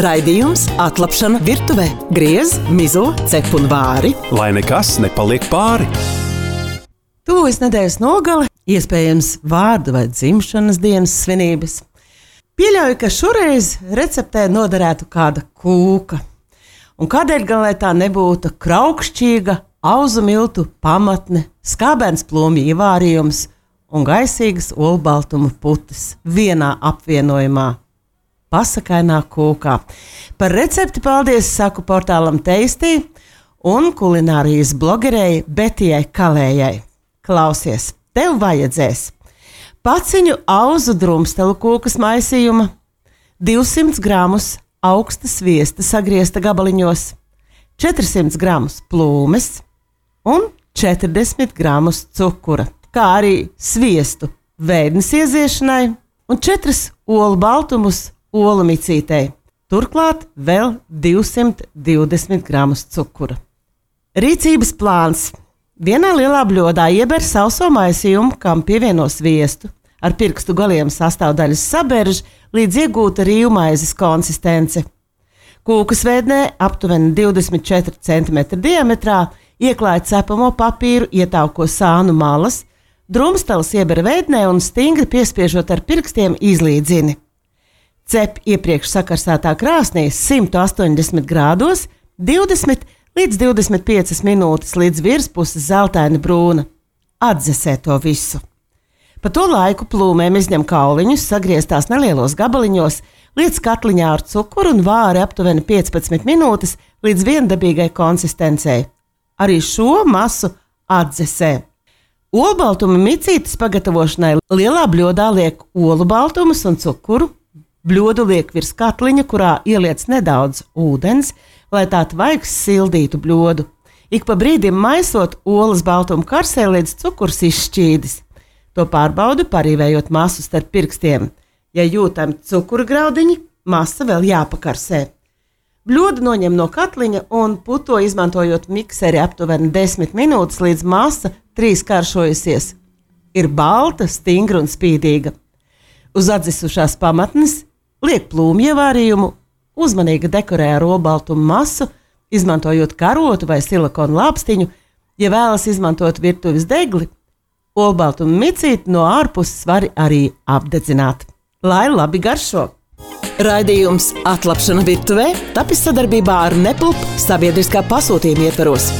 Raidījums Atlapšana virtuvē. Griez, mizo, cep un vāri. Lai nekas nepaliek pāri. Tuvojas nedēļas nogale, iespējams vārdu vai dzimšanas dienas svinības. Pieļauju, ka šoreiz receptē noderētu kāda kūka. Un kādēļ gan lai tā nebūtu kraukšķīga auzu miltu pamatne, skābens plūmju ievārījums un gaisīgas olbaltumu putas vienā apvienojumā. Pasakainā kūkā. Par recepti paldies saku portālam Teistī un kulinārijas blogerei Betijai Kalējai. Klausies, tev vajadzēs paciņu auzu drumstelu kūkas maisījuma, 200 gramus augsta sviesta sagriezta gabaliņos, 400 gramus plūmes un 40 gramus cukura, kā arī sviestu vēdnes ieziešanai un 4 olu baltumus olu micītei. Turklāt vēl 220 gramus cukura. Rīcības plāns. Vienā lielā bļodā ieber sauso maisījumu, kam pievieno sviestu. Ar pirkstu galiem sastāvdaļas saberž līdz iegūta rīvmaizes konsistence. Kūkas vēdnē aptuveni 24 cm diametrā ieklāj cepamo papīru, ietauko sānu malas, drumsteles ieber vēdnē un stingri piespiežot ar pirkstiem izlīdzini. Cep iepriekš sakarsētā krāsnī 180 grādos 20 līdz 25 minūtes līdz virspuses zeltaini brūna. Atdzesē to visu. Pa to laiku plūmēm izņem kauliņus, sagrieztās nelielos gabaliņos, liec katliņā ar cukuru un vāri aptuveni 15 minūtes līdz viendabīgai konsistencei. Arī šo masu atdzesē. Olbaltumu micītes pagatavošanai lielā bļodā liek olu baltumus un cukuru. Bļodu liek virs katliņa, kurā ieliec nedaudz ūdens, lai tā tvaiks sildītu bļodu. Ik pa brīdim maisot olas baltumu karsē līdz cukurs izšķīdis. To pārbaudu, parīvējot masu starp pirkstiem. Ja jūtami cukura graudiņi, masa vēl jāpakarsē. Bļodu noņem no katliņa un puto izmantojot mikseri aptuveni 10 minūtes līdz masa 3 karšojusies. Ir balta, stingra un spīdīga. Uz atdzisušās pamatnes liek plūmju ievārījumu, uzmanīgi dekorē ar olbaltumu masu, izmantojot karotu vai silikonu lāpstiņu, ja vēlas izmantot virtuves degli, olbaltumu micīti no ārpuses var arī apdedzināt. Lai labi garšo! Raidījums Atlapšana virtuvē tapis sadarbībā ar Nepulp sabiedriskā pasūtījuma ietvaros.